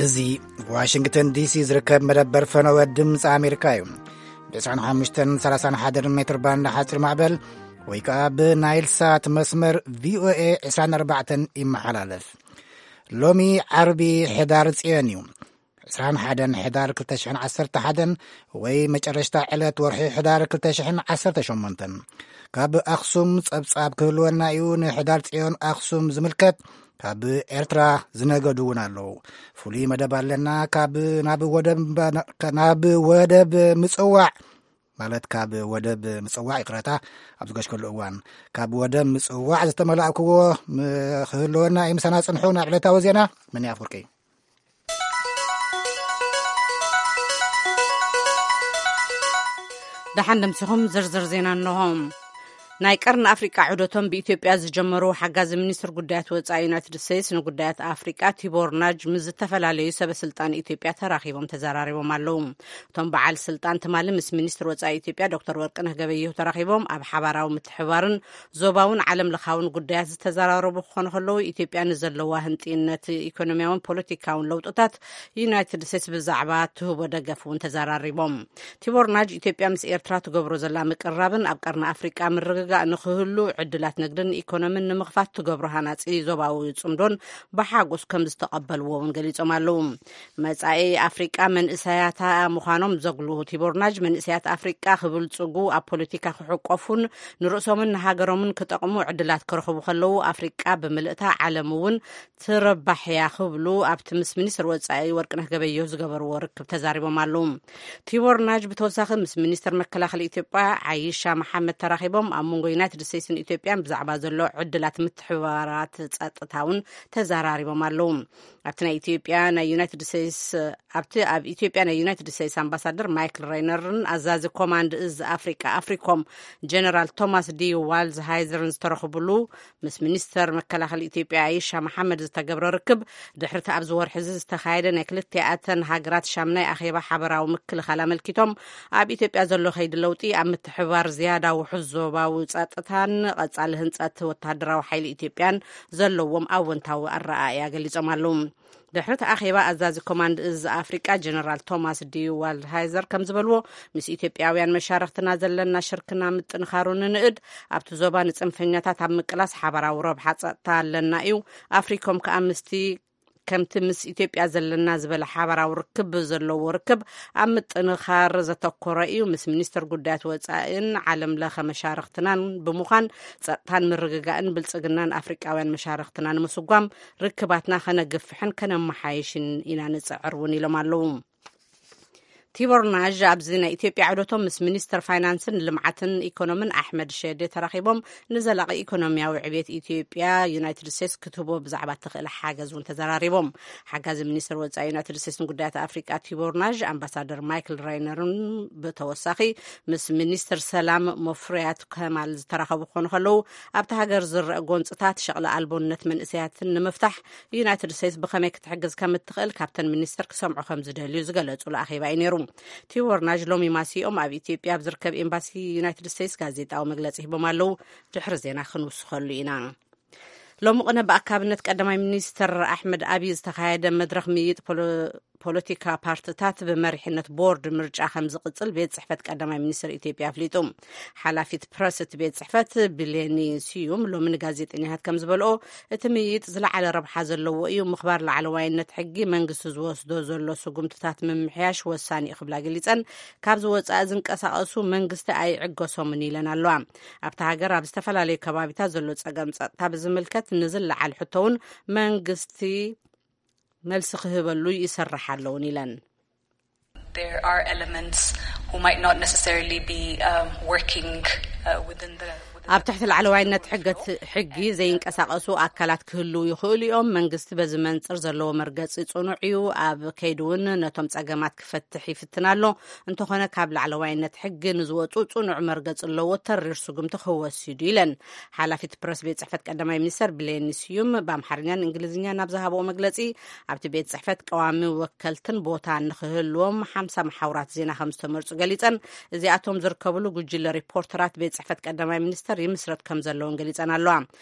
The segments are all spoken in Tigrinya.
እዚ ዋሽንግተን ዲሲ ዝርከብ መደበር ፈነወ ድምፂ ኣሜሪካ እዩ። ብ ዕስራን ሓሙሽተን ሰላሳን ሓደን ሜትር ባንድ ሓፂር ማዕበል ወይ ከዓ ብናይል ሳት መስመር ቪኦኤ ዕስራን ኣርባዕተን ይመሓላለፍ። ሎሚ ዓርቢ ሕዳር ፅዮን እዩ። ዕስራን ሓደን ሕዳር ክልተ ሽሕን ዓሰርተ ሓደን ወይ መጨረሽታ ዕለት ወርሒ ሕዳር ክልተ ሽሕን ዓሰርተ ሸሞንተን። ካብ ኣኽሱም ጸብጻብ ክህልወና እዩ። ንሕዳር ጽዮን ኣኽሱም ዝምልከት ካብ ኤርትራ ዝነገዱ እውን ኣለዉ። ፍሉይ መደብ ኣለና። ካብ ናብ ወደብ፣ ናብ ወደብ ምጽዋዕ፣ ማለት ካብ ወደብ ምጽዋዕ፣ ይቕረታ፣ ኣብ ዝገሽከሉ እዋን ካብ ወደብ ምጽዋዕ ዝተመላእክዎ ም-፣ ክህልወና እዩ። ምሳና ጽንሑ። ናብ ዕለታዊ ዜና መን ኣፍወርቂ። ደሓን ደምሲኹም ዝርዝር ዜና እንሆ። ናይ ቀርኒ ኣፍሪቃ ዑደቶም ብኢትዮጵያ ዝጀመሩ ሓጋዚ ሚኒስትር ጉዳያት ወጻኢ ዩናይትድ ስቴትስ ንጉዳያት ኣፍሪቃ ቲቦር ናጅ ምስ ዝተፈላለዩ ሰበ ስልጣን ኢትዮጵያ ተራኺቦም ተዘራሪቦም ኣለዉ። እቶም በዓል ስልጣን ትማሊ ምስ ሚኒስትር ወጻኢ ኢትዮጵያ ዶክተር ወርቅነህ ገበየሁ ተራኺቦም ኣብ ሓባራዊ ምትሕባርን ዞባውን ዓለም ለኻውን ጉዳያት ዝተዘራረቡ ክኾኑ ከለዉ፣ ኢትዮጵያ ንዘለዋ ህንጥይነት ኢኮኖሚያውን ፖለቲካውን ለውጥታት ዩናይትድ ስቴትስ ብዛዕባ ትህቦ ደገፍ እውን ተዘራሪቦም። ቲቦር ናጅ ኢትዮጵያ ምስ ኤርትራ ትገብሮ ዘላ ምቅርራብን ኣብ ቀርኒ ኣፍሪቃ ምርግጋእ ንክህሉ ዕድላት ንግድን ኢኮኖሚን ንምኽፋት ትገብሮ ሃናጺ ዞባዊ ጽምዶን ብሓጎስ ከም ዝተቐበልዎ እውን ገሊጾም ኣለዉ። መጻኢ ኣፍሪቃ መንእሰያታ ምዃኖም ዘጉልሁ ቲቦር ናጅ፣ መንእሰያት ኣፍሪቃ ክብልጽጉ፣ ኣብ ፖለቲካ ክሕቆፉን ንርእሶምን ንሃገሮምን ክጠቕሙ ዕድላት ክረኽቡ ከለዉ፣ ኣፍሪቃ ብምልእታ ዓለም እውን ትረባሕ እያ ክብሉ ኣብቲ ምስ ሚኒስትር ወጻኢ ወርቅነህ ገበየሁ ዝገበርዎ ርክብ ተዛሪቦም ኣለዉ። ቲቦር ናጅ ብተወሳኺ ምስ ሚኒስትር መከላኸሊ ኢትዮጵያ ዓይሻ መሓመድ ተራኺቦም ኣብ መንጎ ዩናይትድ ስቴትስን ኢትዮጵያን ብዛዕባ ዘሎ ዕድላት ምትሕብባራት ጸጥታ እውን ተዘራሪቦም ኣለዉ። ኣብቲ ናይ ኢትዮጵያ ናይ ዩናይትድ ስቴትስ ኣብቲ ኣብ ኢትዮጵያ ናይ ዩናይትድ ስቴትስ ኣምባሳደር ማይክል ሬይነርን ኣዛዚ ኮማንድ እዝ ኣፍሪቃ ኣፍሪኮም ጀነራል ቶማስ ዲ ዋልዝሃይዘርን ዝተረኽብሉ ምስ ሚኒስተር መከላኸሊ ኢትዮጵያ ኣይሻ መሓመድ ዝተገብረ ርክብ፣ ድሕሪ እቲ ኣብዚ ወርሒ እዚ ዝተኻየደ ናይ ክልቲኣተን ሃገራት ሻምናይ ኣኼባ ሓበራዊ ምክልኻል ኣመልኪቶም፣ ኣብ ኢትዮጵያ ዘሎ ከይዲ ለውጢ ኣብ ምትሕብባር ዝያዳ ውሑስ ዞባዊ ጸጥታን ቀጻሊ ህንጸት ወተሃደራዊ ሓይሊ ኢትዮጵያን ዘለዎም ኣወንታዊ ኣረኣእያ ገሊጾም ኣለዉ። ድሕሪ እቲ ኣኼባ፣ ኣዛዚ ኮማንድ እዝ ኣፍሪቃ ጀነራል ቶማስ ዲ ዋልድሃይዘር ከም ዝበልዎ፣ ምስ ኢትዮጵያውያን መሻርኽትና ዘለና ሽርክና ምጥንኻሩ ንንእድ፣ ኣብቲ ዞባ ንጽንፈኛታት ኣብ ምቅላስ ሓባራዊ ረብሓ ጸጥታ ኣለና እዩ። ኣፍሪኮም ከኣ ምስቲ ከምቲ ምስ ኢትዮጵያ ዘለና ዝበለ ሓባራዊ ርክብ ዘለዎ ርክብ ኣብ ምጥንኻር ዘተኮረ እዩ። ምስ ሚኒስትር ጉዳያት ወጻኢን ዓለም ለኸ መሻርኽትናን ብምዃን ጸጥታን ምርግጋእን ብልጽግናን ኣፍሪቃውያን መሻርኽትና ንምስጓም ርክባትና ከነግፍሕን ከነመሓየሽን ኢና ንጽዕር እውን ኢሎም ኣለዉ። ቲቦር ናዥ ኣብዚ ናይ ኢትዮጵያ ዑደቶም ምስ ሚኒስትር ፋይናንስን ልምዓትን ኢኮኖምን ኣሕመድ ሸዴ ተራኺቦም ንዘላቒ ኢኮኖሚያዊ ዕብየት ኢትዮጵያ ዩናይትድ ስቴትስ ክትህቦ ብዛዕባ እትኽእል ሓገዝ እውን ተዘራሪቦም። ሓጋዚ ሚኒስትር ወጻኢ ዩናይትድ ስቴትስ ንጉዳያት ኣፍሪቃ ቲቦር ናዥ ኣምባሳደር ማይክል ራይነርን ብተወሳኺ ምስ ሚኒስትር ሰላም መፍሪያት ከማል ዝተራኸቡ ክኾኑ ከለዉ፣ ኣብቲ ሃገር ዝረአ ጎንጽታት ሸቕሊ ኣልቦነት መንእሰያትን ንምፍታሕ ዩናይትድ ስቴትስ ብኸመይ ክትሕግዝ ከም እትኽእል ካብተን ሚኒስትር ክሰምዑ ከም ዝደልዩ ዝገለጹሉ ኣኼባ እዩ ነይሩ። ቲቦር ናዥ ሎሚ ማሲኦም ኣብ ኢትዮጵያ ኣብ ዝርከብ ኤምባሲ ዩናይትድ ስቴትስ ጋዜጣዊ መግለጺ ሂቦም ኣለዉ። ድሕሪ ዜና ክንውስኸሉ ኢና። ሎሚ ቅነ ብኣካብነት ቀዳማይ ሚኒስትር ኣሕመድ ኣብዪ ዝተኻየደ መድረኽ ምይይጥ ፖሎ-፣ ፖለቲካ ፓርትታት ብመሪሕነት ቦርድ ምርጫ ከም ዝቕጽል ቤት ጽሕፈት ቀዳማይ ሚኒስትር ኢትዮጵያ ኣፍሊጡ። ሓላፊት ፕረስ እቲ ቤት ጽሕፈት ብሌኒ ስዩም ሎሚ ንጋዜጠኛታት ከም ዝበልኦ፣ እቲ ምይይጥ ዝለዓለ ረብሓ ዘለዎ እዩ። ምኽባር ላዕለዋይነት ሕጊ፣ መንግስቲ ዝወስዶ ዘሎ ስጉምትታት ምምሕያሽ ወሳኒ እዩ ክብላ ገሊጸን፣ ካብዚ ወጻኢ ዝንቀሳቐሱ መንግስቲ ኣይዕገሶምን ኢለን ኣለዋ። ኣብታ ሃገር ኣብ ዝተፈላለዩ ከባቢታት ዘሎ ጸገም ጸጥታ ብዝምልከት ንዝለዓል ሕቶ እውን መንግስቲ መልሲ ክህበሉ ይሰርሕ ኣለውን ኢለን። There are elements who might not necessarily be, um, working, uh, within the, within ኣብ ትሕቲ ላዕለዋይነት ሕገት-፣ ሕጊ ዘይንቀሳቐሱ ኣካላት ክህልዉ ይኽእሉ እዮም። መንግስቲ በዚ መንጽር ዘለዎ መርገጺ ጽኑዕ እዩ። ኣብ ከይዲ እውን ነቶም ጸገማት ክፈትሕ ይፍትን ኣሎ። እንተኾነ ካብ ላዕለዋይነት ሕጊ ንዝወጹ ጽኑዕ መርገጺ ኣለዎ፣ ተሪር ስጉምቲ ክወስድ እዩ ኢለን። ሓላፊት ፕረስ ቤት ጽሕፈት ቀዳማይ ሚኒስተር ብሌኒ ስዩም ብኣምሓርኛን እንግሊዝኛን ኣብ ዝሃብኦ መግለጺ፣ ኣብቲ ቤት ጽሕፈት ቀዋሚ ወከልትን ቦታ ንኽህልዎም ሓምሳ መሓውራት ዜና ከም ዝተመርጹ ገሊጸን፣ እዚኣቶም ዝርከብሉ ጉጅለ ሪፖርተራት ቤት ጽሕፈት ቀዳማይ ሚኒስተር ይምስረት ከም ዘለውን ገሊጸን ኣለዋ።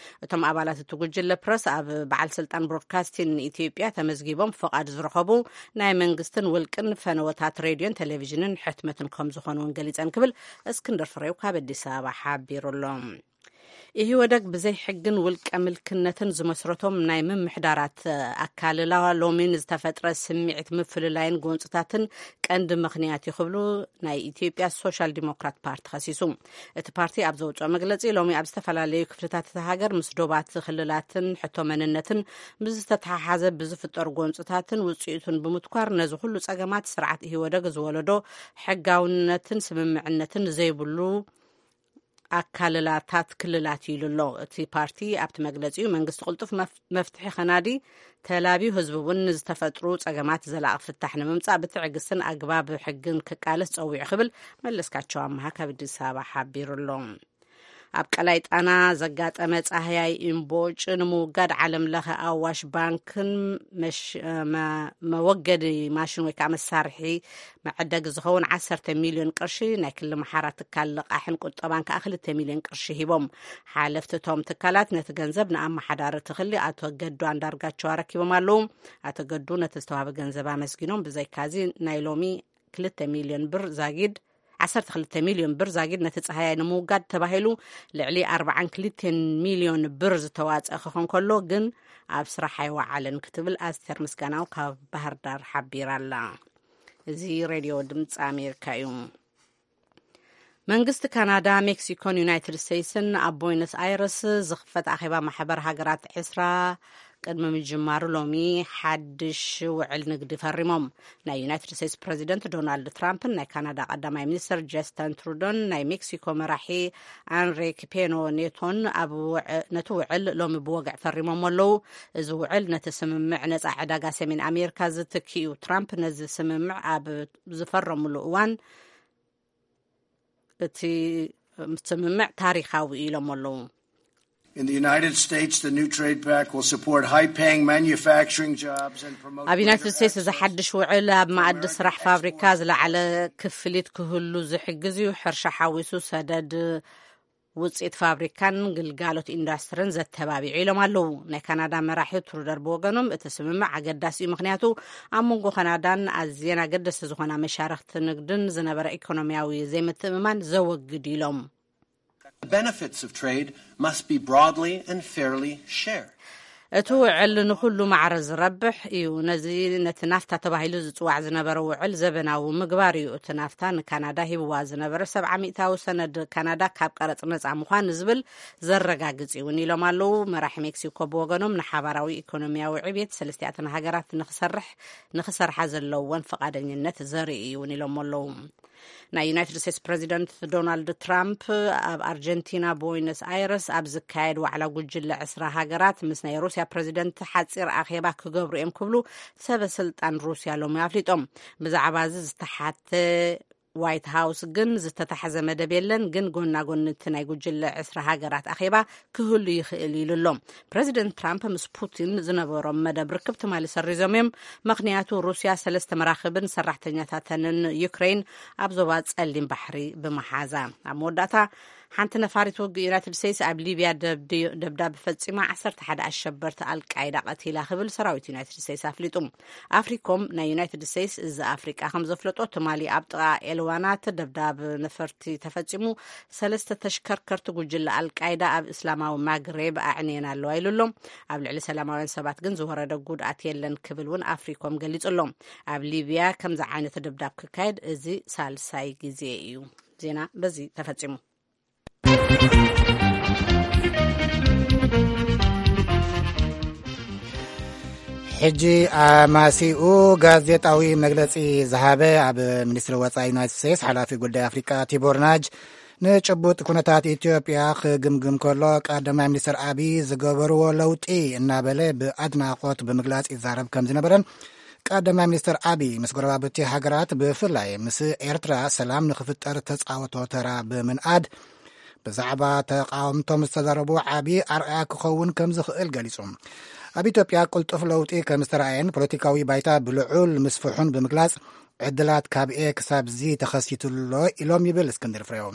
እቶም ኣባላት እቲ ጉጅለ ፕረስ ኣብ በዓል ስልጣን ብሮድካስቲን ኢትዮጵያ ተመዝጊቦም ፍቓድ ዝረኸቡ ናይ መንግስትን ውልቅን ፈነወታት ሬድዮን ቴሌቪዥንን ሕትመትን ከም ዝኾኑ እውን ገሊጸን ክብል እስክንድር ፍሬው ካብ ኣዲስ ኣበባ ሓቢሩ ኣሎ። ኢህወደግ ብዘይ ሕግን ውልቀ ምልክነትን ዝመስረቶም ናይ ምምሕዳራት ኣካልላ ሎሚ ንዝተፈጥረ ስምዒት ምፍልላይን ጎንፅታትን ቀንዲ ምኽንያት እዩ ክብሉ ናይ ኢትዮጵያ ሶሻል ዲሞክራት ፓርቲ ከሲሱ። እቲ ፓርቲ ኣብ ዘውፅኦ መግለፂ ሎሚ ኣብ ዝተፈላለዩ ክፍልታት እታ ሃገር ምስ ዶባት ክልላትን ሕቶ መንነትን ብዝተተሓሓዘ ብዝፍጠሩ ጎንፅታትን ውፅኢቱን ብምትኳር ነዚ ኩሉ ፀገማት ስርዓት ኢህወደግ ዝወለዶ ሕጋውነትን ስምምዕነትን ዘይብሉ ኣካልላታት ክልላት እዩ ኢሉ ኣሎ። እቲ ፓርቲ ኣብቲ መግለጺኡ መንግስቲ ቅልጡፍ መፍ- መፍትሒ ከናዲ ተላብዩ ህዝቢ እውን ንዝተፈጥሩ ጸገማት ዘላቒ ፍታሕ ንምምጻእ ብትዕግስትን ኣግባብ ሕግን ክቃለስ ጸዊዑ ክብል መለስካቸው ኣምሃ ካብ ኣዲስ ኣበባ ሓቢሩ ኣሎ። ኣብ ቀላይ ጣና ዘጋጠመ ጻህያይ እምቦጭ ንምውጋድ ዓለም ለኸ ኣዋሽ ባንክን መሽ- መ- መወገዲ ማሽን ወይ ከዓ መሳርሒ መዐደጊ ዝኸውን ዓሰርተ ሚልዮን ቅርሺ፣ ናይ ክሊ መሓራ ትካል ልቓሕን ቁጠባን ከዓ ክልተ ሚልዮን ቅርሺ ሂቦም። ሓለፍቲ እቶም ትካላት ነቲ ገንዘብ ንኣመሓዳሪ እቲ ክሊ ኣቶ ገዱ ኣንዳርጋቸው ኣረኪቦም ኣለዉ። ኣቶ ገዱ ነቲ ዝተዋህበ ገንዘብ ኣመስጊኖም። ብዘይካዚ ናይ ሎሚ ክልተ ሚልዮን ብር ዛጊድ ዓሰርተ ክልተ ሚልዮን ብር ዛጊድ ነቲ ጸሃያይ ንምውጋድ ተባሂሉ ልዕሊ ኣርባዓን ክልተን ሚልዮን ብር ዝተዋጸ ክኾን ከሎ ግን ኣብ ስራሕ ኣይወዓለን ክትብል ኣስቴር ምስጋናው ካብ ባህር ዳር ሓቢራ ኣላ። እዚ ሬድዮ ድምፂ ኣሜሪካ እዩ። መንግስቲ ካናዳ፣ ሜክሲኮን ዩናይትድ ስቴትስን ኣብ ቦይነስ ኣይረስ ዝኽፈት ኣኼባ ማሕበር ሃገራት ዕስራ ቅድሚ ምጅማሩ ሎሚ ሓድሽ ውዕል ንግዲ ፈሪሞም። ናይ ዩናይትድ ስቴትስ ፕረዚደንት ዶናልድ ትራምፕን ናይ ካናዳ ቀዳማይ ሚኒስትር ጀስተን ትሩዶን ናይ ሜክሲኮ መራሒ ኣንሪክ ፔኖ ኔቶን ኣብ ውዕ- ነቲ ውዕል ሎሚ ብወግዕ ፈሪሞም ኣለዉ። እዚ ውዕል ነቲ ስምምዕ ነጻ ዕዳጋ ሰሜን ኣሜሪካ ዝትኪ እዩ። ትራምፕ ነዚ ስምምዕ ኣብ ዝፈረምሉ እዋን እቲ ስምምዕ ታሪኻዊ ኢሎም ኣለዉ። In the United States, the new trade pact will support high-paying manufacturing jobs and promote ኣብ ዩናይትድ greater ስቴትስ እዚ access ሓድሽ ውዕል ኣብ መኣዲ ስራሕ ፋብሪካ ዝለዓለ ክፍሊት ክህሉ ዝሕግዝ እዩ። ሕርሻ ሓዊሱ ሰደድ ውፅኢት ፋብሪካን ግልጋሎት ኢንዱስትሪን ዘተባቢዑ ኢሎም ኣለዉ። ናይ ካናዳ መራሒ ትሩደር ብወገኖም እቲ ስምምዕ ኣገዳሲ እዩ፣ ምክንያቱ ኣብ መንጎ ካናዳን ኣዝየን ኣገደስቲ ዝኾና መሻርክቲ ንግድን ዝነበረ ኢኮኖሚያዊ ዘይምትእምማን ዘወግድ ኢሎም። The benefits of trade must be broadly and fairly shared. እቲ ውዕል ንኹሉ ማዕረ ዝረብሕ እዩ። ነዚ ነቲ ናፍታ ተባሂሉ ዝጽዋዕ ዝነበረ ውዕል ዘበናዊ ምግባር እዩ። እቲ ናፍታ ንካናዳ ሂብዋ ዝነበረ ሰብዓ ሚእታዊ ሰነድ ካናዳ ካብ ቀረጽ ነጻ ምዃን ዝብል ዘረጋግጽ እውን ኢሎም ኣለዉ። መራሒ ሜክሲኮ ብወገኖም ንሓባራዊ ኢኮኖሚያዊ ዕብየት ሰለስቲኣተን ሃገራት ንክሰርሕ ንክሰርሓ ዘለወን ፍቓደኝነት ዘርኢ እዩ እውን ኢሎም ኣለዉ። ናይ ዩናይትድ ስቴትስ ፕረዚደንት ዶናልድ ትራምፕ ኣብ ኣርጀንቲና ቦይነስ ኣይረስ ኣብ ዝካየድ ዋዕላ ጉጅለ ዕስራ ሃገራት ምስ ናይ ሩስያ ፕረዚደንት ሓፂር ኣኼባ ክገብሩ እዮም ክብሉ ሰበ ስልጣን ሩስያ ሎሚ ኣፍሊጦም። ብዛዕባ እዚ ዝተሓተ ዋይት ሃውስ ግን ዝተታሕዘ መደብ የለን፣ ግን ጎና ጎኒ እቲ ናይ ጉጅለ ዕስራ ሃገራት ኣኼባ ክህሉ ይኽእል ኢሉ ኣሎ። ፕረዚደንት ትራምፕ ምስ ፑቲን ዝነበሮም መደብ ርክብ ትማሊ ሰሪዞም እዮም። ምኽንያቱ ሩስያ ሰለስተ መራኽብን ሰራሕተኛታተንን ዩክሬን ኣብ ዞባ ጸሊም ባሕሪ ብምሓዛ። ኣብ መወዳእታ ሓንቲ ነፋሪት ውግእ ዩናይትድ ስቴትስ ኣብ ሊብያ ደብድ- ደብዳብ ፈጺማ ዓሰርተ ሓደ ኣሸበርቲ ኣልቃይዳ ቀቲላ ክብል ሰራዊት ዩናይትድ ስቴትስ ኣፍሊጡ። ኣፍሪኮም ናይ ዩናይትድ ስቴትስ እዚ ኣፍሪቃ ከም ዘፍለጦ ትማሊ ኣብ ጥቓ ኤልዋናት ደብዳብ ነፈርቲ ተፈጺሙ ሰለስተ ተሽከርከርቲ ጉጅለ ኣልቃይዳ ኣብ እስላማዊ ማግሬብ ኣዕንየን ኣለዋ ኢሉ ኣሎ። ኣብ ልዕሊ ሰላማውያን ሰባት ግን ዝወረደ ጉድኣት የለን ክብል እውን ኣፍሪኮም ገሊጹ ኣሎ። ኣብ ሊብያ ከምዚ ዓይነት ደብዳብ ክካየድ እዚ ሳልሳይ ግዜ እዩ። ዜና በዚ ተፈጺሙ። ሕጂ ኣማሲኡ ጋዜጣዊ መግለጺ ዝሃበ ኣብ ሚኒስትሪ ወጻኢ ዩናይትድ ስቴትስ ሓላፊ ጉዳይ ኣፍሪቃ ቲቦር ናጅ ንጭቡጥ ኩነታት ኢትዮጵያ ክግምግም ከሎ ቀዳማይ ሚኒስትር ኣቢይ ዝገበርዎ ለውጢ እናበለ ብኣድናቖት ብምግላጽ ይዛረብ ከም ዝነበረን ቀዳማይ ሚኒስትር ኣቢይ ምስ ጎረባብቲ ሃገራት ብፍላይ ምስ ኤርትራ ሰላም ንክፍጠር ተጻወቶ ተራ ብምንኣድ ብዛዕባ ተቃወምቶም ዝተዛረቡ ዓቢ ኣርኣያ ክኸውን ከም ዝኽእል ገሊጹ። ኣብ ኢትዮጵያ ቅልጡፍ ለውጢ ከም ዝተረኣየን ፖለቲካዊ ባይታ ብልዑል ምስፍሑን ብምግላጽ ዕድላት ካብ ኤ ክሳብ ዚ ተኸሲቱ ኣሎ ኢሎም ይብል እስክንድር ፍሬው።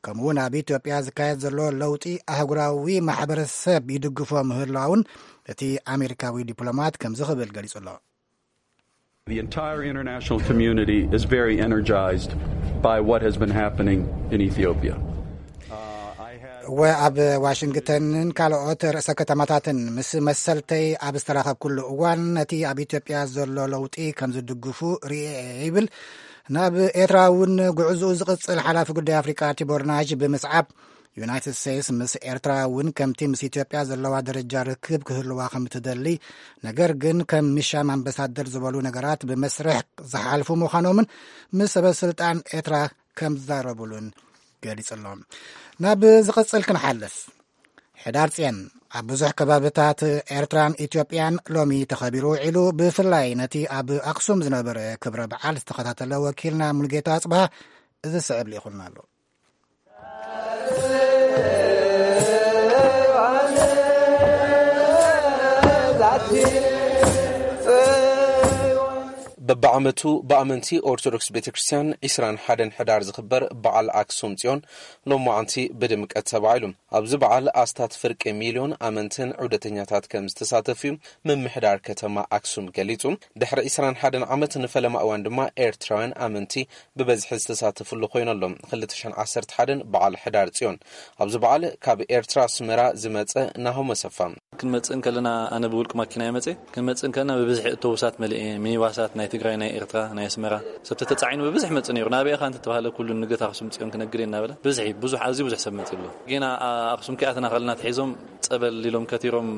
ከምኡውን ኣብ ኢትዮጵያ ዝካየድ ዘሎ ለውጢ ኣህጉራዊ ማሕበረሰብ ይድግፎ ምህላውን እቲ ኣሜሪካዊ ዲፕሎማት ከምዚ ክብል ገሊጹ ኣሎ። The entire international community is very energized by what has been happening in Ethiopia. እወ፣ ኣብ ዋሽንግተንን ካልኦት ርእሰ ከተማታትን ምስ መሰልተይ ኣብ ዝተራኸብኩሉ እዋን ነቲ ኣብ ኢትዮጵያ ዘሎ ለውጢ ከም ዝድግፉ ርእየ እየ ይብል። ናብ ኤርትራ እውን ጉዕዝኡ ዝቕጽል ሓላፊ ጉዳይ ኣፍሪቃ ቲቦር ናሽ ብምስዓብ፣ ዩናይትድ ስቴትስ ምስ ኤርትራ እውን ከምቲ ምስ ኢትዮጵያ ዘለዋ ደረጃ ርክብ ክህልዋ ከም እትደሊ፣ ነገር ግን ከም ምሻም ኣምባሳደር ዝበሉ ነገራት ብመስርሕ ዝሓልፉ ምዃኖምን ምስ ሰበ ስልጣን ኤርትራ ከም ዝዛረቡሉን ገሊጹ ኣሎ። ናብ ዝቕጽል ክንሓልፍ። ሕዳር ጽዮን ኣብ ብዙሕ ከባብታት ኤርትራን ኢትዮጵያን ሎሚ ተኸቢሩ ውዒሉ፣ ብፍላይ ነቲ ኣብ ኣክሱም ዝነበረ ክብረ በዓል ዝተኸታተለ ወኪልና ሙሉጌታ ኣጽብሃ እዚ ስዕብ ልኢኹልና ኣሎ። በብዓመቱ ብኣመንቲ ኦርቶዶክስ ቤተ ክርስቲያን ዕስራን ሓደን ሕዳር ዝኽበር በዓል ኣክሱም ጽዮን ሎማዓንቲ ብድምቀት ተባዒሉ። ኣብዚ በዓል ኣስታት ፍርቂ ሚልዮን ኣመንትን ዑደተኛታት ከም ዝተሳተፉ እዩ ምምሕዳር ከተማ ኣክሱም ገሊጹ። ድሕሪ ዕስራን ሓደን ዓመት ንፈለማ እዋን ድማ ኤርትራውያን ኣመንቲ ብበዝሒ ዝተሳተፍሉ ኮይኑ ኣሎ። ክልተ ሽሕን ዓሰርተ ሓደን በዓል ሕዳር ጽዮን። ኣብዚ በዓል ካብ ኤርትራ ኣስመራ ዝመጸ ናሆም ኣሰፋ። ክንመጽእ እንከለና ኣነ ብውልቂ ማኪና እየ መጽእ። ክንመጽእ እንከለና ብብዝሒ ኣውቶቡሳት መሊኤ፣ ሚኒባሳት ናይ ትግራይ፣ ናይ ኤርትራ፣ ናይ ኣስመራ ሰብ ተተጻዒኑ ብብዝሒ መጽእ ነይሩ። ናበይ ኢኻ እንተተባህለ ኩሉ ንግደት ኣክሱም ጽዮን ክነግድ እየ እናበለ ብዝሒ ብዙሕ፣ ኣዝዩ ብዙሕ ሰብ መጽእ ኣሎ። ጌና ኣክሱም ከኣትና ከለና ተሒዞም ጸበል ኢሎም ከቲሮም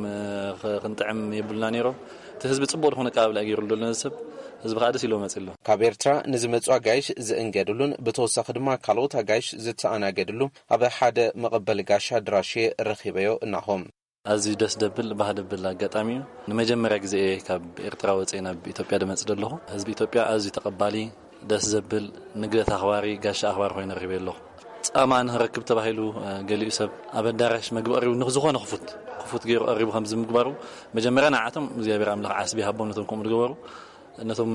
ክንጥዕም የብልና ነይሮም። እቲ ህዝቢ ጽቡቕ ዝኾነ ኣቀባብላ ገይሩ ኣሎ ነዚ ሰብ። ህዝቢ ከዓ ደስ ኢሎ መጽእ ኣሎ። ካብ ኤርትራ ንዝመጹ ኣጋይሽ ዝእንገድሉን ብተወሳኺ ድማ ካልኦት ኣጋይሽ ዝተኣናገድሉ ኣብ ሓደ መቐበሊ ጋሻ ኣድራሽ ረኺበዮ እናሆም። ኣዝዩ ደስ ደብል ባህ ደብል ኣጋጣሚ እዩ። ንመጀመርያ ግዜ እየ ካብ ኤርትራ ወፅየ ናብ ኢትዮጵያ ድመፅእ ዘለኹ። ህዝቢ ኢትዮጵያ ኣዝዩ ተቐባሊ፣ ደስ ዘብል፣ ንግደት ኣኽባሪ፣ ጋሻ ኣኽባሪ ኮይኑ ረኺበ ኣለኹ። ጻማ ንኽረክብ ተባሂሉ ገሊኡ ሰብ ኣብ ኣዳራሽ መግቢ ቀሪቡ ንዝኾነ ክፉት ክፉት ገይሩ ቀሪቡ ከምዚ ምግባሩ መጀመርያ ንዓቶም እግዚኣብሔር ኣምላኽ ዓስቢ ሃቦም ነቶም ከምኡ ዝገበሩ። ነቶም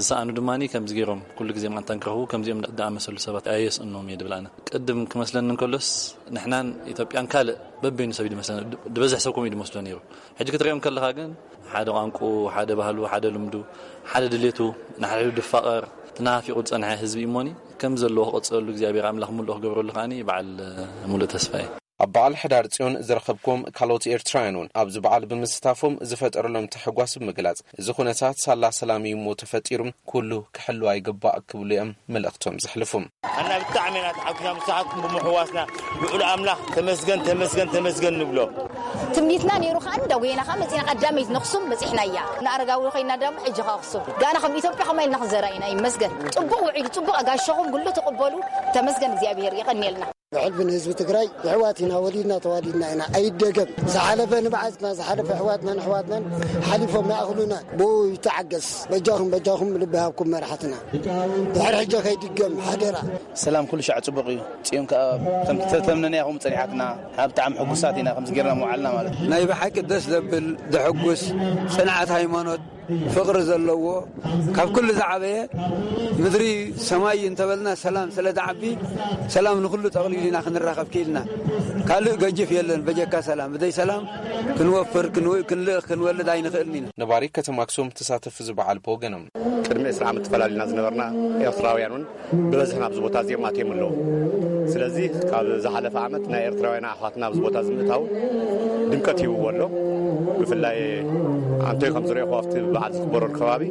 ዝሰኣኑ ድማ ከምዚ ገይሮም ኩሉ ግዜ ማንታ ንክረኽቡ ከምዚኦም ዝኣመሰሉ ሰባት ኣየስእኖም እየ ድብል ኣነ። ቅድም ክመስለኒ እንከሎስ ንሕናን ኢትዮጵያን ካልእ በበይኑ ሰብ እዩ ዝመስለና። ዝበዝሕ ሰብ ከምኡ እዩ ዝመስሎ ነይሩ። ሕጂ ክትሪኦም ከለኻ ግን ሓደ ቋንቁ፣ ሓደ ባህሉ፣ ሓደ ልምዱ፣ ሓደ ድሌቱ፣ ንሓድሕዱ ድፋቐር፣ ትናፊቑ ዝጸንሐ ህዝቢ እሞኒ ከም ዘለዎ ክቐጽለሉ እግዚኣብሔር ኣምላኽ ምሉእ ክገብረሉ ከዓኒ በዓል ምሉእ ተስፋ እየ። ኣብ በዓል ሕዳር ጽዮን ዝረኸብኩም ካልኦት ኤርትራውያን እውን ኣብዚ በዓል ብምስታፎም ዝፈጠረሎም ተሕጓስ ብምግላጽ፣ እዚ ኩነታት ሳላ ሰላም እዩ እሞ ተፈጢሩ፣ ኩሉ ክሕሉ ኣይግባእ ክብሉ እዮም መልእኽቶም ዘሕልፉ። ኣና ብጣዕሚ ኢና ተሓጒስና ምሳኻትኩም ብምሕዋስና ልዑል ኣምላኽ ተመስገን ተመስገን ተመስገን ንብሎ። ትምኒትና ነይሩ ከዓ እንዳጎየና ከዓ መፂና ቀዳመይት ነክሱም በፂሕና እያ ንኣረጋዊ ኮይና ዳሞ ሕጂ ከዓ ኣክሱም ጋና ከም ኢትዮጵያ ከማ ኢልና ክንዘራ ኢና ይመስገን። ፅቡቅ ውዒሉ ፅቡቅ ኣጋሸኹም ጉሎ ተቀበሉ። ተመስገን እግዚኣብሔር የቀንየልና። ብሕልፊ ንህዝቢ ትግራይ ኣሕዋት ኢና፣ ወሊድና ተዋሊድና ኢና፣ ኣይደገም። ዝሓለፈ ንብዓትና፣ ዝሓለፈ ኣሕዋትናን ኣሕዋትናን ሓሊፎም ይኣኽሉና። ብኡ ይተዓገስ። በጃኹም በጃኹም ልቢ ሃብኩም መራሕትና። ድሕሪ ሕጂ ከይድገም ሓደራ። ሰላም ኩሉ ሻዕ ጽቡቕ እዩ። ጽዮን ከኣ ከምቲ ተተምነናያ ከምኡ ጸኒሓትና። ብጣዕሚ ሕጉሳት ኢና ከምዚ ጌርና ምውዓልና ማለት እዩ። ናይ ብሓቂ ደስ ዘብል ዘሐጉስ ጽንዓት ሃይማኖት ፍቕሪ ዘለዎ ካብ ኩሉ ዝዓበየ ምድሪ ሰማይ እንተበልና ሰላም ስለ ዝዓቢ ሰላም ንኹሉ ጠቕሊሉ ኢና ክንራኸብ ክኢልና። ካልእ ገጅፍ የለን በጀካ ሰላም። ብዘይ ሰላም ክንወፍር፣ ክንልእኽ፣ ክንወልድ ኣይንኽእልን ኢና። ነባሪ ከተማ ኣክሱም ተሳተፍቲ እዚ በዓል ብወገኖም። ቅድሚ ዕስራ ዓመት ተፈላሊና ዝነበርና ኤርትራውያን እውን ብበዝሒ ናብዚ ቦታ እዚኦም ኣትዮም ኣለዉ። ስለዚ ካብ ዝሓለፈ ዓመት ናይ ኤርትራውያን ኣሕዋትና ኣብዚ ቦታ እዚ ምእታው ድምቀት ሂብዎ ኣሎ። ብፍላይ ኣንቶይ ከም ዝረእኹ ኣብቲ በዓል ዝኽበረሉ ከባቢ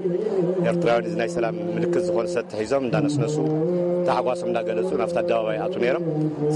ኤርትራውያን እዚ ናይ ሰላም ምልክት ዝኾነ ሰቲ ሒዞም እንዳነስነሱ ታሕጓሶም እንዳገለጹ ናብቲ ኣደባባይ ይኣትዉ ነይሮም።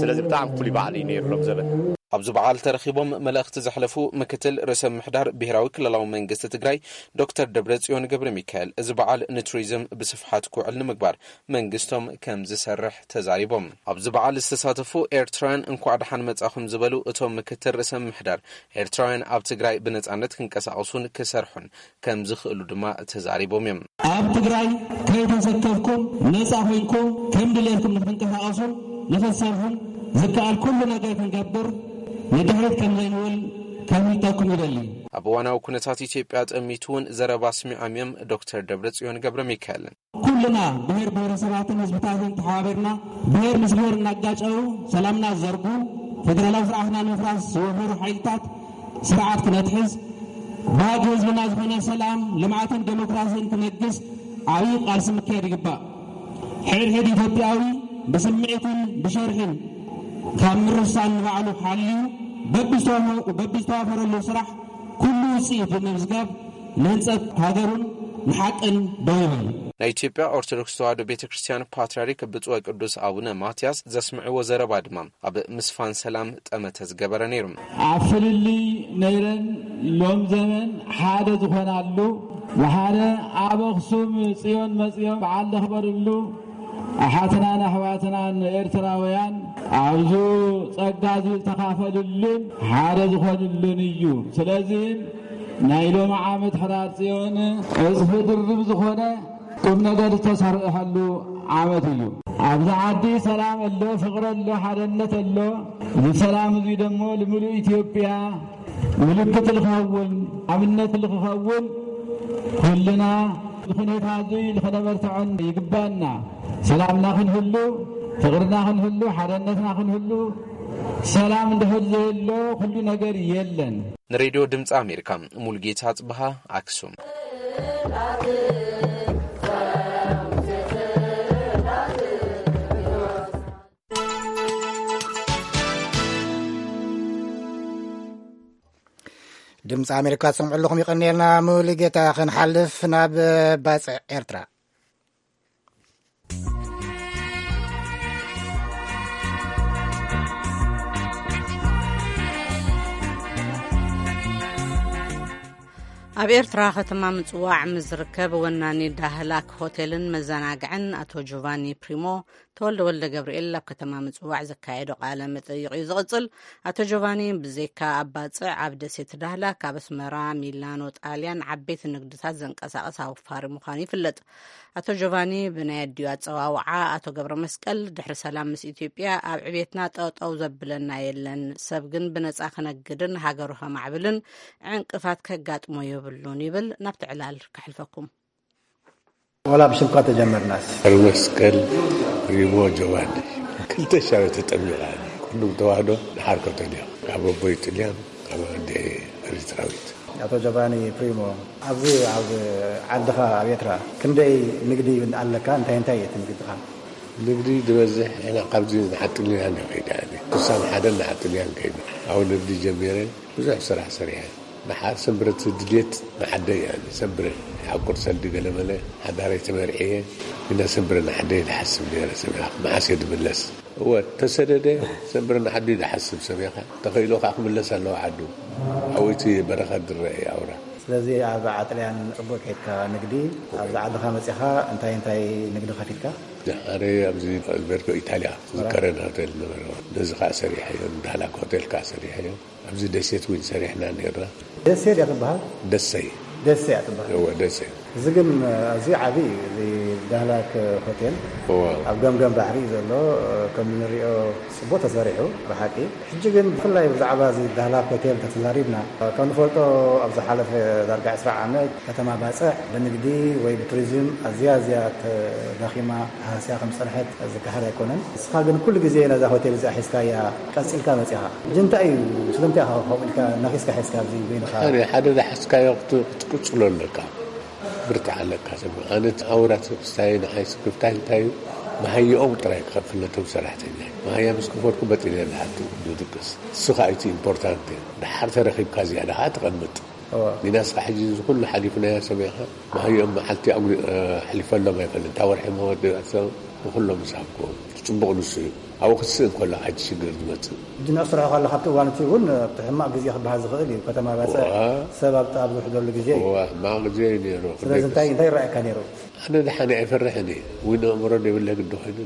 ስለዚ ብጣዕሚ ፍሉይ በዓል እዩ ነይሩ ሎም ዘበን። ኣብዚ በዓል ተረኺቦም መልእኽቲ ዘሕለፉ ምክትል ርእሰ ምምሕዳር ብሄራዊ ክልላዊ መንግስቲ ትግራይ ዶክተር ደብረጽዮን ገብረሚካኤል፣ እዚ በዓል ንቱሪዝም ብስፍሓት ክውዕል ንምግባር መንግስቶም ከም ዝሰርሕ ተዛሪቦም። ኣብዚ በዓል ዝተሳተፉ ኤርትራውያን እንኳዕ ደሓን መጻኹም ዝበሉ እቶም ምክትል ርእሰ ምምሕዳር፣ ኤርትራውያን ኣብ ትግራይ ብነጻነት ክንቀሳቐሱን ክሰርሑን ከም ዝኽእሉ ድማ ተዛሪቦም እዮም። ኣብ ትግራይ ከይተሰከፍኩም ነጻ ኮይንኩም ከም ድሌትኩም ንክትንቀሳቐሱን ንክትሰርሑን ዝከኣል ኩሉ ነገር ክንገብር ንድሕሪት ከም ዘይንብል ከፍልጠኩም ይደሊ። ኣብ እዋናዊ ኩነታት ኢትዮጵያ ጠሚቱ እውን ዘረባ ኣስሚዖም እዮም ዶክተር ደብረጽዮን ገብረ ሚካኤል። ኩልና ብሔር ብሔረሰባትን ህዝብታትን ተሓባቢርና፣ ብሔር ምስ ብሔር እናጋጨው ሰላምና ዝዘርጉ፣ ፌደራላዊ ስርዓትና ንምፍራስ ዝወፈሩ ሓይልታት ስርዓት ክነትሕዝ፣ ባህጊ ህዝብና ዝኾነ ሰላም፣ ልምዓትን ዴሞክራሲን ክነግስ ዓብዪ ቃልሲ ምክያድ ይግባእ። ሕድሕድ ኢትዮጵያዊ ብስምዒትን ብሸርሕን ካብ ምርሳን ንባዕሉ ሓልዩ በብዝተዋፈ-፣ በብዝተዋፈረሉ ስራሕ ኩሉ ውፅኢት ብምምዝጋብ ንህንፀት ሃገሩን ንሓቅን ደው ይበል። ናይ ኢትዮጵያ ኦርቶዶክስ ተዋሕዶ ቤተ ክርስቲያን ፓትርያርክ ብፁዕ ወቅዱስ ኣቡነ ማትያስ ዘስምዕዎ ዘረባ ድማ ኣብ ምስፋን ሰላም ጠመተ ዝገበረ ነይሩ። ኣብ ፍልልይ ነይረን ሎም ዘመን ሓደ ዝኾናሉ፣ ብሓደ ኣብ ኣኽሱም ጽዮን መጺኦም በዓል ዘኽበርሉ፣ ኣሓትናን ኣሕዋትናን ኤርትራውያን ኣብዚ ጸጋ እዚ ዝተኻፈሉሉን ሓደ ዝኾኑሉን እዩ። ስለዚ ናይ ሎሚ ዓመት ሕዳር ጽዮን ዕጽፊ ድርብ ዝኾነ ቁም ነገር ዝተሰርሐሉ ዓመት እዩ። ኣብዚ ዓዲ ሰላም ኣሎ፣ ፍቕሪ ኣሎ፣ ሓደነት ኣሎ። እዚ ሰላም እዚ ደሞ ንምሉእ ኢትዮጵያ ምልክት ልኸውን፣ ኣብነት ልኽኸውን፣ ኩልና እዚ ኩነታ እዚ ልኸነበርትዖን ይግባና። ሰላምና ክንህሉ፣ ፍቕርና ክንህሉ፣ ሓደነትና ክንህሉ፣ ሰላም እንድሕር ዘየሎ ኩሉ ነገር የለን። ንሬድዮ ድምፂ ኣሜሪካ፣ ሙልጌታ ጽብሃ፣ ኣክሱም። ድምፂ ኣሜሪካ ትሰምዑ ኣለኹም፣ ይቐንየልና። ሙሉጌታ ክንሓልፍ ናብ ባጽዕ ኤርትራ። ኣብ ኤርትራ ከተማ ምጽዋዕ ምስ ዝርከብ ወናኒ ዳህላክ ሆቴልን መዘናግዕን ኣቶ ጆቫኒ ፕሪሞ፣ ተወልደ ወልደ ገብርኤል ኣብ ከተማ ምጽዋዕ ዘካየዶ ቃለ መጠይቕ እዩ ዝቕጽል። ኣቶ ጆቫኒ ብዘይካ ኣብ ባጽዕ፣ ኣብ ደሴት ዳህላክ፣ ኣብ ኣስመራ፣ ሚላኖ፣ ጣልያን ዓበይቲ ንግድታት ዘንቀሳቕስ ኣውፋሪ ምዃኑ ይፍለጥ። ኣቶ ጆቫኒ ብናይ ኣዲኡ ኣጸዋውዓ ኣቶ ገብረ መስቀል፣ ድሕሪ ሰላም ምስ ኢትዮጵያ ኣብ ዕቤትና ጠጠው ዘብለና የለን፣ ሰብ ግን ብነጻ ክነግድን ሃገሩ ከማዕብልን ዕንቅፋት ከጋጥሞ የብሉን ይብል። ናብቲ ዕላል ከሕልፈኩም። ወላ ብሽምካ ተጀመርናስ። ገብረ መስቀል ሪሞ ጆቫኒ ክልተ ሻው ተጠሚቓ። ኩሉም ተዋህዶ ንሓርከቶም እዮም። ካብ ኣቦይ ጥልያን ካብ ኣደ ኤሪትራዊት። ኣቶ ጆቫኒ ፕሪሞ፣ ኣብዚ ኣብ ዓድኻ ኣብ ኤርትራ ክንደይ ንግዲ ኣለካ? እንታይ እንታይ እዩ እቲ ንግድኻ? ንግዲ ዝበዝሕ ኢና ካብዚ ንዓጥልያን ከይዳ፣ ክሳብ ሓደ ንዓጥልያን ከይዳ። ኣብ ንግዲ ጀሚረ ብዙሕ ስራሕ ሰሪሐ። ደሓር ሰንብረት ድሌት ንዓደይ እያ። ሰንብረ ይሓቁር ሰልዲ ገለመለ ሓዳረይ ተመርዕየ። ግና ሰንብረ ንዓደይ ዝሓስብ ነይረ። ሰሚራ መዓስ እየ ድምለስ? እወ፣ ተሰደደ ሰንብረ ንዓዱ ድሓስብ ሰሚኻ። ተኸኢሉ ከዓ ክምለስ ኣለዎ ዓዱ። ኣብኡ እቲ በረኸት ዝረአ እዩ ኣውራ። ስለዚ ኣብ ዓጥልያን ጽቡቅ ከይድካ ንግዲ፣ ኣብዚ ዓድኻ መጺኻ እንታይ እንታይ ንግዲ ከፊትካ? ደሓር ኣብዚ ኣልቤርጎ ኢታልያ ዝከረን ሆቴል ነበረ። ነዚ ከዓ ሰሪሐዮ፣ ዳህላክ ሆቴል ከዓ ሰሪሐዮ። ኣብዚ ደሴት እውን ሰሪሕና ነይርና። ደሴ ድያ ትበሃል? ደሰይ። ደሴ እያ ትበሃል። እወ፣ ደሰይ። እዚ ግን ኣዝዩ ዓቢ እዩ፣ እዚ ዳህላክ ሆቴል። እወ። ኣብ ገምገም ባሕሪ እዩ ዘሎ። ከም እንሪኦ ጽቡቅ ተሰሪሑ ብሓቂ። ሕጂ ግን ብፍላይ ብዛዕባ እዚ ዳህላክ ሆቴል እንተተዛሪብና፣ ከም ንፈልጦ ኣብ ዝሓለፈ ዳርጋ ዕስራ ዓመት ከተማ ባጽዕ ብንግዲ ወይ ብቱሪዝም ኣዝያ ኣዝያ ተዳኺማ ተሃስያ ከም ዝጸንሐት ዝከሓድ ኣይኮነን። ንስኻ ግን ኩሉ ግዜ ነዛ ሆቴል እዚኣ ሒዝካያ ቀጺልካ መጺኻ። ሕጂ እንታይ እዩ፣ ስለምንታይ ኢኻ ከምኡ ኢልካ ነኺስካ ሒዝካ ኣብዚ በይንኻ? ሓደ፣ ሓደ ዝሓዝካዮ ክት-፣ ክትቅጽሎ ኣለካ። ብርትዕ ኣለካ ሰብ። ኣነ ኣውራ ስክፍታይ ንዓይ ስክፍታይ እንታይ እዩ? መሃይኦም ጥራይ ክኸፍል ነቶም ሰራሕተኛ። መሃያ ምስ ከፈልኩ በጢነ ዝሓቱ ዝድቅስ። ንሱ ኸኣ እቲ ኢምፖርታንት እዩ። ደሓር ተረኺብካ ዝያዳ ኸኣ ትቐምጥ። እዋ። ሚናስኻ ሕጂ እዚ ኩሉ ሓሊፍናዮ ሰሚዕኻ፣ መሃይኦም መዓልቲ ኣጉሪ-፣ እ፣ ኣሕሊፈሎም ኣይፈልጥ። እታ ወርሒ መወዳእታ ንኹሎም ምስ ሃብክዎም። እቲ ጽቡቕ ንሱ እዩ። ኣብኡ ክትስእ እንከሎ፣ ሓንቲ ሽግር ዝመጽእ። ሕጂ ንዕስርሖ ከሎ፣ ካብቲ እዋን እቲ እውን፣ ኣብቲ ሕማቕ ግዜ ክበሃል ዝኽእል እዩ። ከተማ ባጽዕ እዋ። ሰብ ኣብ፣ ኣብ ዝውሕደሉ ግዜ እዩ። እዋ፣ ሕማቕ ግዜ እዩ ነይሩ። ስለዚ እንታይ፣ እንታይ ይረኣየካ ነይሩ? ኣነ ደሓን ኣይፈርሕን እየ። እውን ኣእምሮ ዘይብለ ግዲ ኮይኑ፣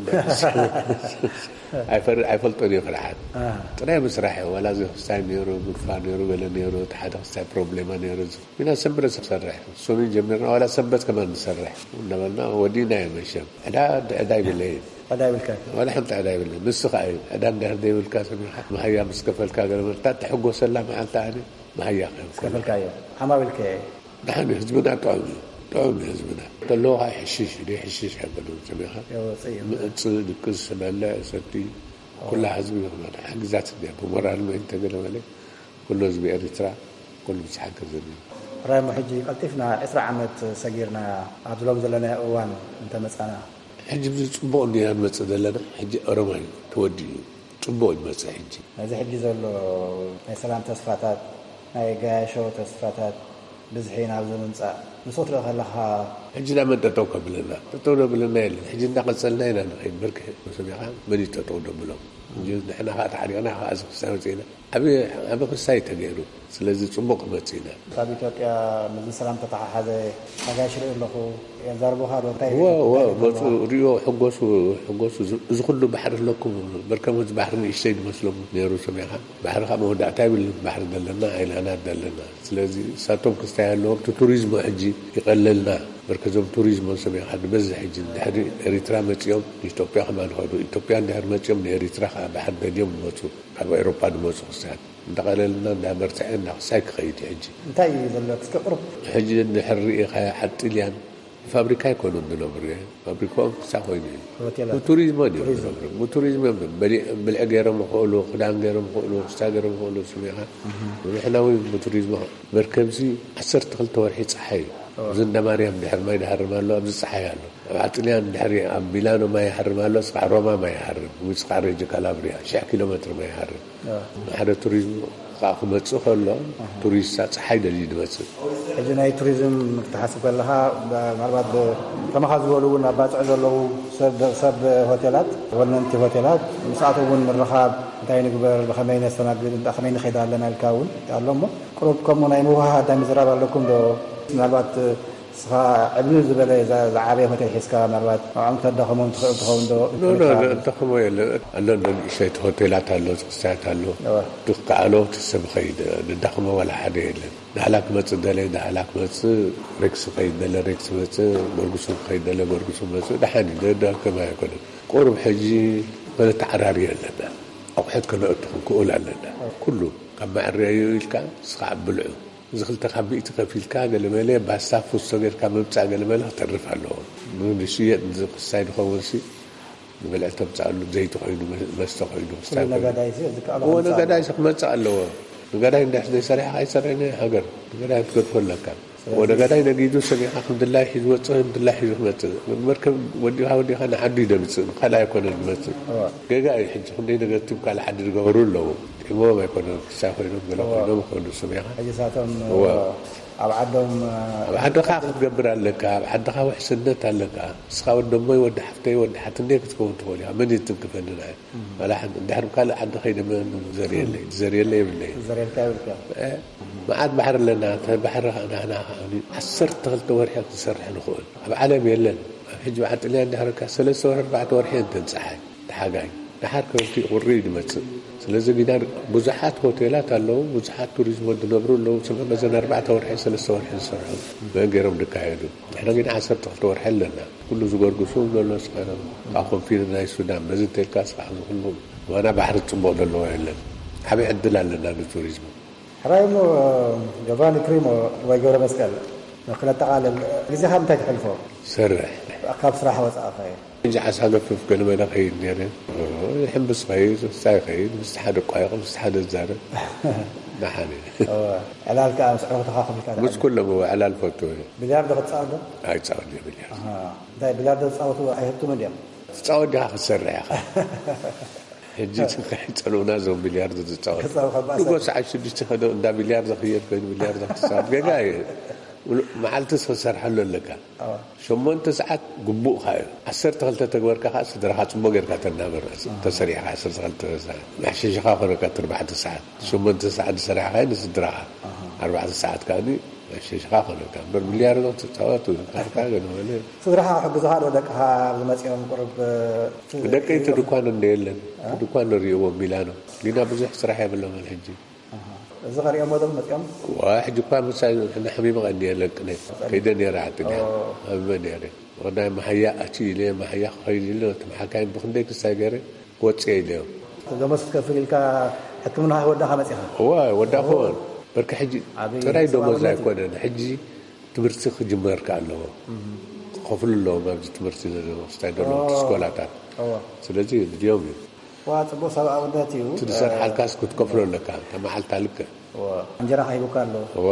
ኣይፈር-፣ ኣይፈልጦን እየ ፍርሓት። ኣሃ። ጥራይ ምስራሕ እየ። ዋላ እዚ ክስታይ ነይሩ፣ ግፋ ነይሩ፣ ገለ ነይሩ፣ እቲ ሓደ ክስታይ ፕሮብሌማ ነይሩ። ኢና ሰንብረ ዝሰርሕ። ሶኑይ ጀሚርና ዋላ ሰንበት ከማን ንሰርሕ እናበልና ወዲእናዮ መሸም። ዕዳ፣ ዕዳ ይብለይን። ዕዳ ይብልካ? ዋላ ሓንቲ ዕዳ ይብለይን። ንሱ ኸኣ እዩ። ዕዳ እንድሕር ዘይብልካ ሰሚዕካ፣ መሃያ ምስ ከፈልካ ገለ መርታ ትሕጎሰላ መዓልቲ ኣነ መሃያ ክህብ ከሎ። ዝከፈልካዮ ዓማዊልከ? ደሓን እዩ፣ ህዝብና ጥዑም እዩ። ጥዑም እዩ ህዝብና። ተለዎ ከዓ ይሕሽሽ፣ ዘይሕሽሽ ኣይኮነን። ሰሚዕኻ? የወፅእ እዩ። ምእፅእ፣ ድቅስ፣ በልዕ፣ ሰቲ፣ ኩላ ህዝቢ ይኽመል። ሓግዛት እንዲያ፣ ብሞራል ምእንቲ ገለ መለ፣ ኩሉ ህዝቢ ኤሪትራ፣ ኩሉ ምስ ሓገዘኒ። ራይሞ፣ ሕጂ ቀልጢፍና ዕስራ ዓመት ሰጊርና ኣብዚ ሎም ዘለናዮ እዋን እንተመፃና። ሕጂ ብዚ ፅቡቕ እንዲና ንመፅእ ዘለና። ሕጂ ኦሮማይ ተወዲኡ እዩ። ፅቡቕ ይመፅእ ሕጂ። ነዚ ሕጂ ዘሎ ናይ ሰላም ተስፋታት፣ ናይ ገያሾ ተስፋታት፣ ብዝሒ ናብዚ ምምፃእ ንሱ ክትርኢ ከለኻ። ሕጂ ናብ መን ጠጠው ከብለና? ጠጠው ደብለና የለን። ሕጂ እንዳቐፀልና ኢና ንኸይድ። ብርክ ሰሚዕኻ መን እዩ ጠጠው ደብሎም? ሕጂ ንሕና ከዓ ተሓሪቕና ከዓ እዚ ክስታይ ወፂእና። ዓብ ዓብ ክስታይ ተገይሩ። ስለዚ ፅቡቕ ክመፅእ ኢና። ካብ ኢትዮጵያ ምስዚ ሰላም ተተሓሓዘ ኣጋይሽ ርኢ ኣለኹ። የዛርቡኻ ዶ? እንታይ እወ እወ እንታይ መፁ ይብሉኻ? ሪኦ ሕጎሱ። ሕጎሱ እዚ ኩሉ ባሕሪ ኣለኩም። በርከም እዚ ባሕሪ ንእሽተይ ዝመስሎም ነይሩ። ሰሚዕኻ ባሕሪ ካብ መወዳእታ ይብል። ባሕሪ ዘለና ኣይላናት ዘለና። ስለዚ ሳቶም ክስታይ ኣለዎም። እቲ ቱሪዝሞ ሕጂ ይቐለልና። በርከዞም ቱሪዝሞ ሰሚዕኻ ንበዝሕ ሕጂ ድሕሪ ኤሪትራ መፂኦም ንኢትዮጵያ ከማን ይኸዱ። ኢትዮጵያ እንድሕር መፂኦም ንኤሪትራ ከዓ ባሕሪ ደልዮም ይመፁ። ካብ ኤሮፓ ዝመፁ ክስታያት እንዳቐለልና እንዳበርትዐ እንዳክሳይ ክኸይድ እዩ ሕጂ። እንታይ እዩ ዘሎ? እስኪ ቅሩብ ሕጂ እንድሕር ርኢኻዮ ዓድ ጥልያን ብፋብሪካ ኣይኮኑን ዝነብሩ። ፋብሪካኦም ክሳ ኮይኑ እዩ። ሆቴላት። ብቱሪዝም ድዮም ቱሪዝም። ዝነብሩ። ብቱሪዝም እዮም። በሊ- ብልዒ ገይሮም ይኽእሉ፣ ክዳን ገይሮም ይኽእሉ፣ ክስታ ገይሮም ይኽእሉ። ስሚኻ ንሕና እውን ብቱሪዝም መርከብዚ ዓሰርተ ክልተ ወርሒ ፀሓይ እዩ። እዚ እንዳ ማርያም ድሕር ማይ ድሃርም ኣሎ፣ ኣብዚ ፀሓይ ኣሎ። ኣብ ዓጥልያን ድሕሪ ኣብ ሚላኖ ማይ ይሃርም ኣሎ፣ እስካዕ ሮማ ማይ ይሃርም፣ ወይ እስካዕ ሬጅ ካላብሪያ ሽሕ ኪሎ ሜትር ማይ ይሃርም። ንሓደ ቱሪዝም ከዓ ክመፅእ ከሎ ቱሪስት ፀሓይ ደልዩ ዝመፅእ። ሕጂ ናይ ቱሪዝም ክትሓስብ ከለካ ምናልባት ከማኻ ዝበሉ እውን ኣብ ባፅዕ ዘለዉ ሰብ ሰብ ሆቴላት ወነንቲ ሆቴላት ምስኣቶም እውን ምርኻብ እንታይ ንግበር ብከመይ ነስተናግድ እንታይ ከመይ ንኸይድ ኣለና ኢልካ እውን ኣሎ እሞ ቅሩብ ከምኡ ናይ ምውሃሃድ ናይ ምዝራብ ኣለኩም ዶ? ምናልባት እስኻ ዕብልል ዝበለ ዝዓበየ ሆቴል ሒዝካ ምናልባት ንዕኦም ክተዳኽሞም ትኽእል ትኸውን ዶ? ተኽሞ የለ ኣሎ እንዶ ንእሸይቲ ሆቴላት ኣሎ ዝኽሳያት ኣሎ። ትከኣሎ እቲ ሰብ ኸይድ ንዳኽሞ ዋላ ሓደ የለን። ዳህላ ክመፅእ ደለ ዳህላ ክመፅእ፣ ሬክስ ኸይድ ደለ ሬክስ መፅእ፣ ጎርጉሱ ኸይድ ደለ ጎርጉሱ መፅእ። ደሓን እዩ ደዳከማ ኣይኮነን። ቁሩብ ሕጂ መነተዓራሪ ኣለና። ኣቑሑት ከነእቱ ክንክእል ኣለና። ኩሉ ካብ መዐረዩ ኢልካ እስኻ ኣብ ብልዑ እዚ ክልተ ካብ ሚእቲ ከፊልካ ገለመለ ባስታ ፉስቶ ጌርካ ምምፃእ ገለመለ ክተርፍ ኣለዎ። ንሽየጥ ንክሳይ ዝኸውን ሲ ንበልዕ ተምፅኣሉ ዘይቲ ኮይኑ መስተ ኮይኑ ክስታይ ኮይኑ ነጋዳይ ሲ ዝከኣሎ እዎ ከምፅእ ነጋዳይ ኣለዎ። ሲ ክመፅእ ኣለዎ። ነጋዳይ እንድሕር ዘይሰሪሕካ ኣይሰርሕን እዩ ሃገር። ነጋዳይ ክትገድፎ ኣለካ። እዎ ነጋዳይ ነጊዱ ሰሚዕካ ከምድላይ ሒዙ ወፅእ ከምድላይ ሒዙ ክመፅእ መርከብ ወዲኻ ወዲኻ ንዓዱ ይደምፅእ ካልእ ኣይኮነን ዝመፅእ። ገጋ እዩ ሕጂ ክንደይ ነገር ትም ካልእ ዓዲ ዝገበሩ ኣለዉ። ሒሞም ኣይኮነን ክሳ ኮይኖም ገለ ኮይኖም ይኾኑ ስሚኻ። ሕጂ ሳቶም እወ። ኣብ ዓዶም ኣብ ዓድኻ ክትገብር ኣለካ። ኣብ ዓድኻ ውሕስነት ኣለካ። እስኻ ወዲ ኣሞይ ወዲ ሓፍተይ ወዲ ሓትነይ ክትከውን ትኽእል ኢኻ። መን እዩ ትንክፈኒ ንዓይ? ዋላ ሓንቲ እንድሕር ካልእ ዓዲ ከይደ መን ዘርየለይ? ዘርየለይ የብለይ። ዘርየልካ የብልካ። መዓት ባሕሪ ኣለና። እተ ባሕሪ ኸዓ ናህና ኸዓ ዓሰርተ ክልተ ወርሒ ክንሰርሕ ንኽእል። ኣብ ዓለም የለን። ኣብ ሕጂ በዓል ጥልያን ድሕረካ ሰለስተ ወርሒ ኣርባዕተ ወርሒ እየን ተንፀሓይ። ተሓጋይ ደሓር ክረምቲ ቁሪ እዩ ዝመፅእ። ስለዚ ጊዳር ብዙሓት ሆቴላት ኣለዉ፣ ብዙሓት ቱሪዝም ዝነብሩ ኣለዉ። ስለ መዘን ኣርባዕተ ወርሒ ሰለስተ ወርሒ ዝሰርሑ መን ገይሮም ዝካየዱ? ንሕና ጊና ዓሰርተ ክልተ ወርሒ ኣለና። ኩሉ ዝጎርግሱ ዘሎ ስኻ ካብ ኮንፊደንስ ናይ ሱዳን በዚ እንተልካ ስራሕ ዝኩሉ ዋና ባሕሪ ፅቡቕ ዘለዎ የለን። ዓብዪ ዕድል ኣለና ንቱሪዝም። ሕራይ እሞ ጆቫኒ ፕሪሞ ወይ ገብረ መስቀል ክነጠቓልል ግዜኻ ምንታይ ተሕልፎ? ሰርሕ። ካብ ስራሕ ወፃእኻ እዩ። ሕጂ ዓሳ ገፍፍ ገለመለ ኸይድ ነይረ። ይሕምብስ ኸይድ፣ ምስታ ይኸይድ፣ ምስቲ ሓደ ቋይቕ፣ ምስቲ ሓደ ዛረብ። ደሓን እየ። እወ። ዕላል ከዓ ምስ ዕሩኽትኻ ከፊልካ ምስ ትዓልል። ኩሎም እወ ዕላል ፈቱ እየ። ቢልያርዶ ክትፃወት ዶ? ኣይፃወት እየ ቢልያርዶ። ኣሃ። እንታይ ቢልያርዶ ዝፃወቱ ኣይህብቱምን ድዮም? ትፃወት ዲኻ ክትሰርሕ ኢኻ። ሕጂ ከይፀልኡና እዞም ቢልያርዶ ዝፃወቱ። ክፃወት ካብ ባእሳ። ንጎ ሰዓት ሽዱሽተ ከዶ እንዳ ቢልያርዶ ክየድ ኮይኑ ቢልያርዶ ክትፃወት ገጋ እየ። መዓልትስ ክትሰርሐሉ ኣለካ። ሸሞንተ ሰዓት ግቡእካ እዩ። ዓሰርተ ክልተ ተግበርካ ከዓ ስድራኻ ፅቡቅ ጌርካ ተናብር። ተሰሪሕካ ዓሰርተ ክልተ ሰዓት መሕሸሽኻ ኮነካ እቲ ኣርባዕተ ሰዓት ሸሞንተ ሰዓት ዝሰራሕካዮ ንስድራኻ ኣርባዕተ ሰዓት ከዓ መሕሸሽኻ ኮነካ እምበር ቢልያርዶ ትፃወት ካርታ ገለ መለ። ስድራኻ ክሕግዙኻ ዶ ደቅኻ ኣብዚ መፂኦም ቁሩብ? ደቀይ እቲ ድኳን እንደ የለን እቲ ድኳን ንሪእዎ ሚላኖ ጊና ብዙሕ ስራሕ የብሎምን ሕጂ። ኣሃ። እዚ ኸሪኦሞ ዶ መፂኦም? ዋ ሕጂ እኳ ምሳይ ንሕሚመ ቀንየ ለቅነ ከይደ ነይረ ዓጥንያ ሃሚመ ነይረ። ወዳይ መሃያ ኣቲ ኢለ መሃያ ክኸይድ ኢለ ነቶም ሓካይም ብክንደይ ክሳይ ገይረ ክወፅእ ኢለዮም። ደሞዝ ክትከፍል ኢልካ ሕክምና ወዳኻ መፂኻ? እዋ ወዳኹ። በርኪ ሕጂ ዓብይ ጥራይ ደሞዝ ሰብኣውነት እዩ። ኣይኮነን። ሕጂ ትምህርቲ ክጅመር ከ ኣለዎ። ክኸፍሉ ኣለዎም ኣብዚ ትምህርቲ ስታይ ዘለዉ ኦ። ስኮላታት። እወ። ስለዚ ድዮም እዩ። ዋ፣ ጽቡቕ ሰብኣውነት እዩ። እቲ ዝሰርሓልካስ ክትከፍሎ ኣለካ። እታ መዓልታ ልክዕ። እወ። እንጀራ ከሂቡካ ኣለዎ። እዋ።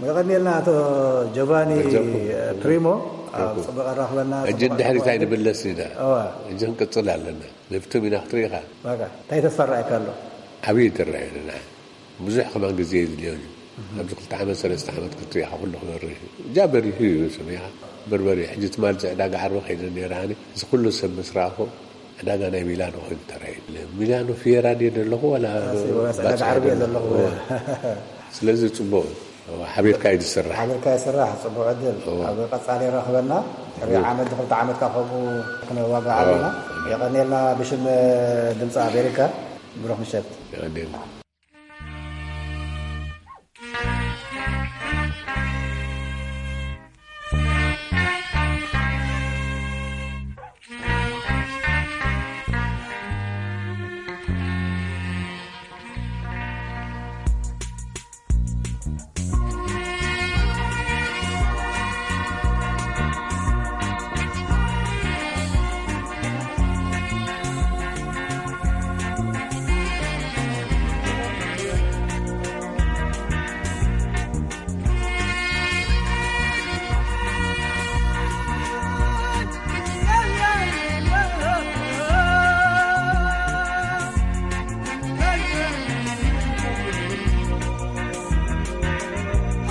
መቐኒልና ኣቶ ጆቫኒ ኣጆኩም። ፕሪሞ ኣብ ኣጆኩም። ጽቡቕ ኣራኽበና። ሕጂ እንድሕሪት ኣይንምለስ ኢና። እዋ። ሕጂ ክንቅጽል ኣለና። ለፍቶም ኢና ክትሪኢኻ። በቃ እንታይ ተስፋ ረኣየካ ኣሎ? ዓብዪ ትረኣየልና። ብዙሕ ከማን ግዜ የድልዮን እዩ። ኣብዚ ክልተ ዓመት ሰለስተ ዓመት ክትሪኢኻ ኩሉ ክበርህ እዩ። እጃ በሪሁ እዩ ሰሚኻ። በርበሪ ሕጂ ትማል እዚ ዕዳጋ ዓርቢ ከይደ ነይረ ኣነ። እዚ ኩሉ ሰብ ምስ ረኣኹ ዕዳጋ ናይ ሚላኖ ኮይኑ ተራእዩ። ሚላኖ ፊየራ ድየ ዘለኹ ዋላ ኣሲ፣ ወላስ ዕዳጋ ዓርቢ እየ ዘለኹ። እዎ። ስለዚ ጽቡቕ እዩ። እዎ፣ ሓቢርካ እዩ ዝስራሕ። ሓቢርካ ይስራሕ፣ ጽቡቕ ዕድል። እዎ። ኣብ ቀጻሊ ይራኽበና። ሕሪ እዎ። ዓመት፣ ክልተ ዓመት ካብ ከምኡ ክንዋጋዕ ኣለና። እዎ። የቐንየልና ብሽም ድምፂ ኣሜሪካ። ብሩኽ ምሸት። የቐንየልና።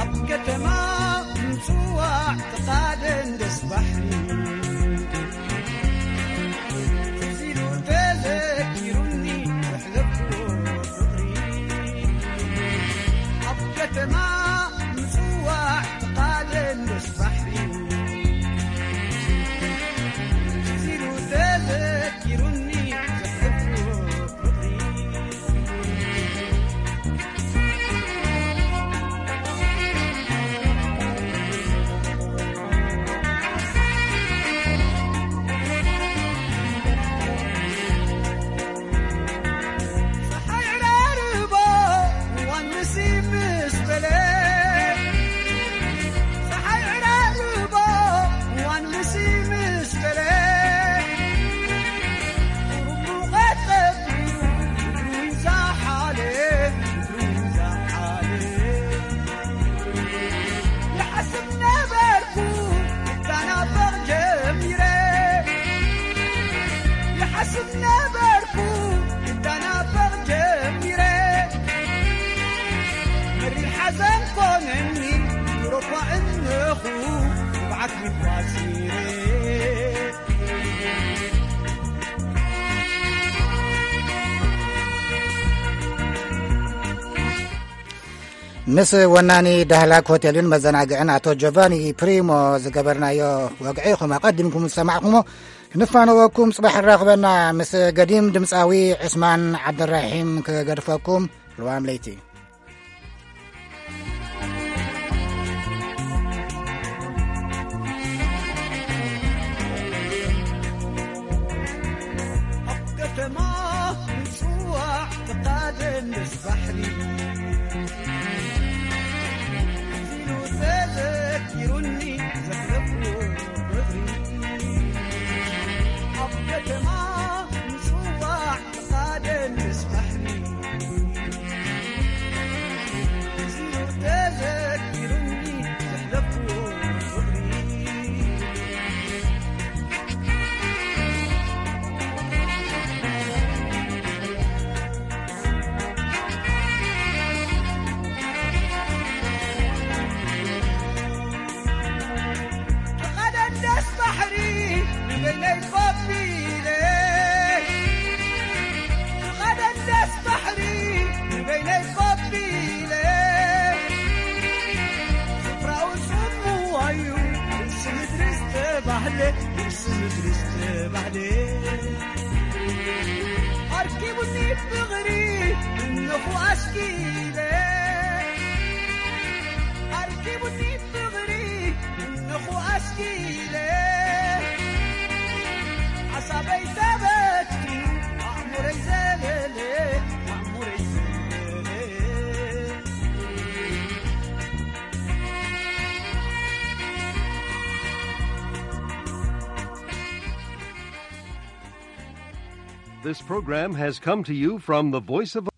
ኣብ ከተማ ምጽዋዕ ተቓደን ደስ ባሕሪ። ትዝ ኢሉ ተዘኪሩኒ ዘሕለፍክዎ ፍቕሪ። ኣብ ከተማ ምጽዋዕ ተቓደን ደስ ባሕሪ። ትዝ ኢሉ ተዘኪሩኒ ዘሕለፍክዎ ፍቕሪ። ጸሓይ ዕራርቦ እዋን ምሲ ምስ በለ፣ ጸሓይ ዕራርቦ እዋን ምሲ ምስ በለ፣ ቁሩብ ሙቐት ቀቢሩ ምድሩ ይዛሓለ፣ ምድሩ ይዛሓለ። ይሓስብ ነበርኩ ክተናፈቕ ጀሚረ፣ ይሓስብ ነበርኩ ክተናፈቕ ጀሚረ። መሪር ሓዘን ኮነኒ ኑሮኳ እነኹ ንብዓት ምኳሲረ። ምስ ወናኒ ዳህላክ ሆቴልን መዘናግዕን ኣቶ ጆቫኒ ፕሪሞ ዝገበርናዮ ወግዒ ኢኹም ኣቐዲምኩም ዝሰማዕኩሞ። ንፋነወኩም፣ ጽባሕ ንራኽበና። ምስ ገዲም ድምጻዊ ዑስማን ዓብደራሒም ክገድፈኩም። ልዋም ለይቲ። ኣብ ከተማ ምጽዋዕ ተቓደን ምስ ባሕሪ። ትዝ ኢሉ ተዘኪሩኒ ዘሕለፍዎ ፍቕሪ። ኣብ ከተማ ምጽዋዕ ተቓደን ምስ ባሕሪ። ትዝ ኢሉ ተዘኪሩኒ ዘሕለፍዎ ፍቕሪ። ተቐደን ደስ ባሕሪ ንበይነይ ኮፍ ኢለ። ተቐደን ደስ ባሕሪ ንበይነይ ኮፍ ኢለ። ስፍራኡ ጽምዋ እዩ ርእሲ ምድሪ ዝተባህለ፣ ርእሲ ምድሪ ዝተባህለ። ኣርኪቡኒ ፍቕሪ እነኹ ኣስኪለ። ኣርኪቡኒ ፍቕሪ እነኹ ኣስኪለ። ሓሳበይ ተበቲኑ ኣእምሮይ ዘለለ፣ ኣእምሮይ ዘለለ። This program has come to you from the Voice of